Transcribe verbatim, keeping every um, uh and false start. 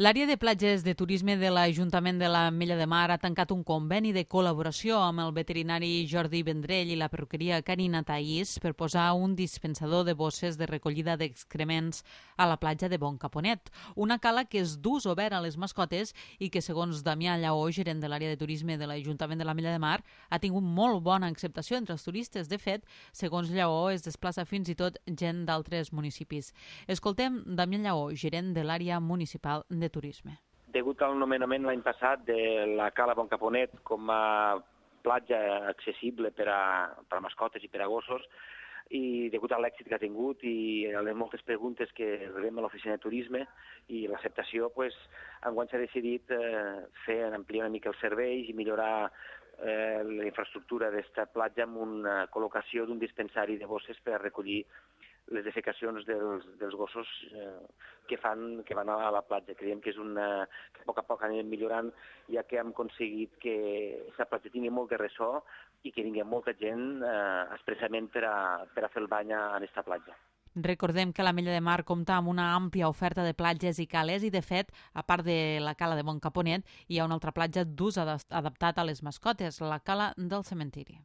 L'àrea de platges de turisme de l'Ajuntament de l'Ametlla de Mar ha tancat un conveni de col·laboració amb el veterinari Jordi Vendrell i la perruqueria Carina Taís per posar un dispensador de bosses de recollida d'excrements a la platja de Bon Caponet, una cala que és d'ús obert a les mascotes i que, segons Damià Lleó, gerent de l'àrea de turisme de l'Ajuntament de l'Ametlla de Mar, ha tingut molt bona acceptació entre els turistes. De fet, segons Lleó, es desplaça fins i tot gent d'altres municipis. Escoltem Damià Lleó, gerent de l'àrea municipal de turisme. Degut al nomenament l'any passat de la Cala Bon Caponet com a platja accessible per a, per a mascotes i per a gossos, i degut a l'èxit que ha tingut i a les moltes preguntes que rebem a l'oficina de turisme i l'acceptació, pues, enguany s'ha decidit eh, fer ampliar una mica els serveis i millorar eh, la infraestructura d'esta platja amb una col·locació d'un dispensari de bosses per a recollir les defecacions dels, dels gossos eh, que fan que van a la platja. Creiem que és una que a poc a poc anem millorant, ja que hem aconseguit que aquesta platja tingui molt de ressò i que vingui molta gent eh, expressament per a, per a fer el bany en aquesta platja. Recordem que l'Ametlla de Mar compta amb una àmplia oferta de platges i cales i, de fet, a part de la cala de Bon Caponet, hi ha una altra platja d'ús adaptat a les mascotes, la cala del cementiri.